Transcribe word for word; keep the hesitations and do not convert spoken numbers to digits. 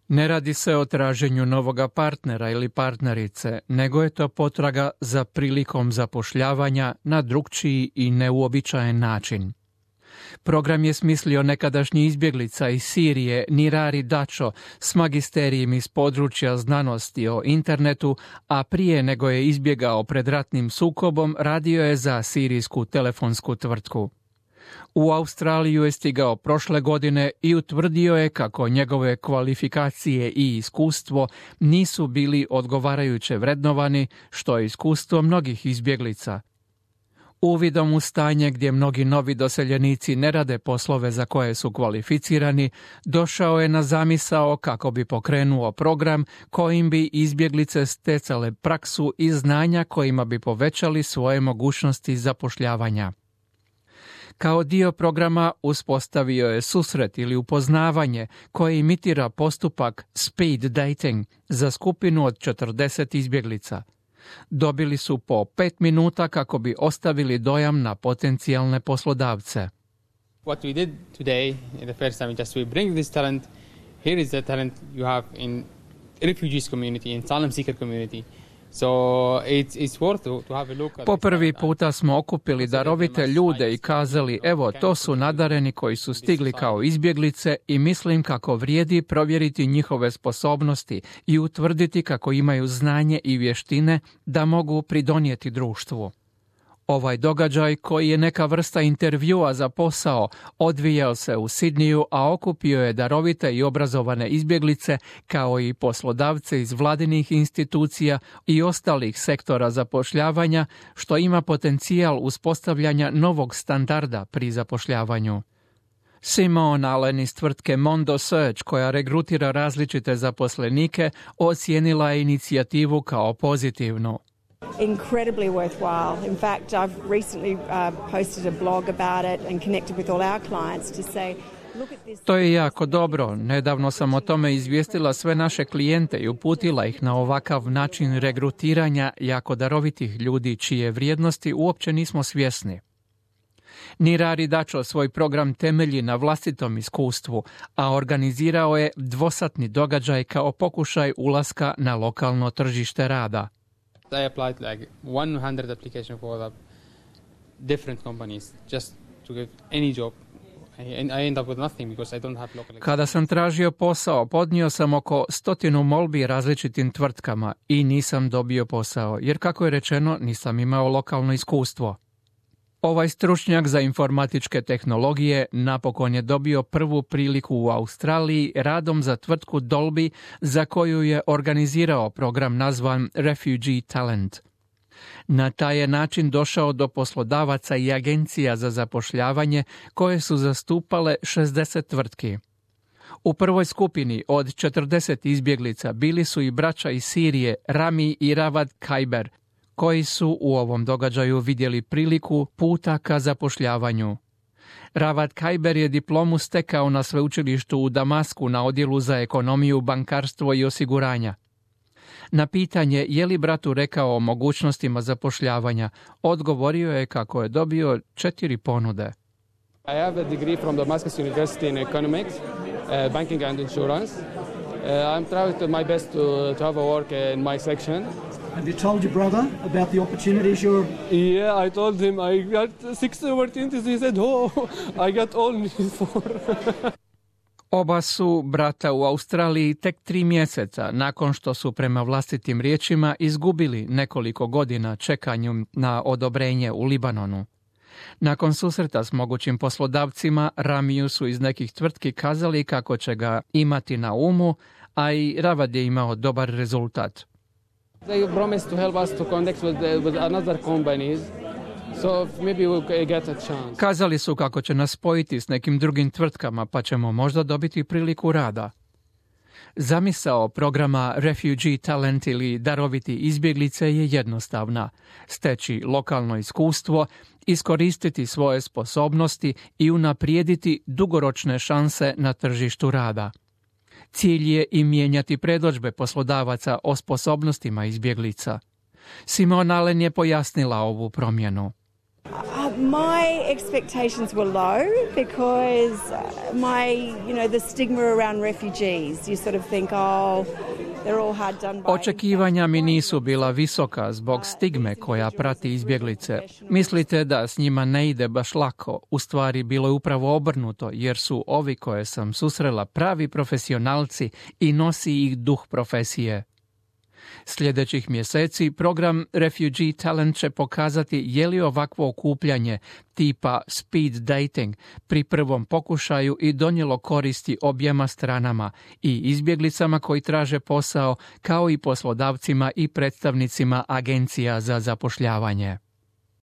Ne radi se o traženju novoga partnera ili partnerice, nego je to potraga za prilikom zapošljavanja na drukčiji i neuobičajen način. Program je smislio nekadašnji izbjeglica iz Sirije Nirari Dacho s magisterijem iz područja znanosti o internetu, a prije nego je izbjegao pred ratnim sukobom radio je za sirijsku telefonsku tvrtku. U Australiju je stigao prošle godine i utvrdio je kako njegove kvalifikacije i iskustvo nisu bili odgovarajuće vrednovani, što je iskustvo mnogih izbjeglica. Uvidom u stanje gdje mnogi novi doseljenici ne rade poslove za koje su kvalificirani, došao je na zamisao kako bi pokrenuo program kojim bi izbjeglice stecale praksu i znanja kojima bi povećali svoje mogućnosti zapošljavanja. Kao dio programa uspostavio je susret ili upoznavanje koje imitira postupak speed dating za skupinu od četrdeset izbjeglica. Dobili su po pet minuta kako bi ostavili dojam na potencijalne poslodavce. What we did today, the first time, just we bring this talent. Here is the talent you have in refugees community, in asylum seeker community. So it's, it's worth to, to have a look at po prvi puta smo okupili darovite ljude i kazali, evo, to su nadareni koji su stigli kao izbjeglice i mislim kako vrijedi provjeriti njihove sposobnosti i utvrditi kako imaju znanje i vještine da mogu pridonijeti društvu. Ovaj događaj, koji je neka vrsta intervjua za posao, odvijao se u Sidniju, a okupio je darovite i obrazovane izbjeglice, kao i poslodavce iz vladinih institucija i ostalih sektora zapošljavanja, što ima potencijal uspostavljanja novog standarda pri zapošljavanju. Simon Allen iz tvrtke Mondo Search, koja regrutira različite zaposlenike, ocijenila je inicijativu kao pozitivnu. Incredibly worthwhile. In fact, I've recently uh, posted a blog about it and connected with all our clients to say, look at this. To je jako dobro. Nedavno sam o tome izvijestila sve naše klijente i uputila ih na ovakav način regrutiranja jako darovitih ljudi čije vrijednosti uopće nismo svjesni. Nirari Dacho svoj program temelji na vlastitom iskustvu, a organizirao je dvosatni događaj kao pokušaj ulaska na lokalno tržište rada. I applied like one hundred applications for the different companies just to get any job. And I end up with nothing because I don't have local. Kada sam tražio posao, podnio sam oko stotinu molbi različitim tvrtkama i nisam dobio posao, jer kako je rečeno, nisam imao lokalno iskustvo. Ovaj stručnjak za informatičke tehnologije napokon je dobio prvu priliku u Australiji radom za tvrtku Dolby, za koju je organizirao program nazvan Refugee Talent. Na taj je način došao do poslodavaca i agencija za zapošljavanje koje su zastupale šezdeset tvrtki. U prvoj skupini od četrdeset izbjeglica bili su i braća iz Sirije Rami i Ravad Kajber, koji su u ovom događaju vidjeli priliku puta ka zapošljavanju. Ravad Kajber je diplomu stekao na sveučilištu u Damasku na odjelu za ekonomiju, bankarstvo i osiguranja. Na pitanje je li bratu rekao o mogućnostima zapošljavanja, odgovorio je kako je dobio četiri ponude. I have a degree from Damascus University in economics, uh, banking and insurance. Uh, I'm trying to my best to, to have a work in my section. Have you told your brother about the opportunities you're... Yeah, I told him I got six opportunities. He said, oh, I got only four. Oba su brata u Australiji tek tri mjeseca nakon što su prema vlastitim riječima izgubili nekoliko godina čekanjem na odobrenje u Libanonu. Nakon susreta s mogućim poslodavcima, Ramiju su iz nekih tvrtki kazali kako će ga imati na umu, a i Ravad je imao dobar rezultat. They promised to help us to connect with, the, with another companies, so maybe we'll get a chance. Kazali su kako će nas spojiti s nekim drugim tvrtkama, pa ćemo možda dobiti priliku rada. Zamisao programa Refugee Talent ili daroviti izbjeglice je jednostavna. Steći lokalno iskustvo, iskoristiti svoje sposobnosti i unaprijediti dugoročne šanse na tržištu rada. Cilj je i mijenjati predodžbe poslodavaca o sposobnostima izbjeglica. Simon Allen je pojasnila ovu promjenu. Uh, My expectations were low because my, you know, the stigma around refugees. You sort of think, oh, they're all hard done by. Očekivanja mi nisu bila visoka zbog stigme koja prati izbjeglice. Mislite da s njima ne ide baš lako. U stvari bilo je upravo obrnuto, jer su ovi koje sam susrela pravi profesionalci i nosi ih duh profesije. Sljedećih mjeseci program Refugee Talent će pokazati je li ovakvo okupljanje tipa speed dating pri prvom pokušaju i donijelo koristi objema stranama, i izbjeglicama koji traže posao, kao i poslodavcima i predstavnicima agencija za zapošljavanje.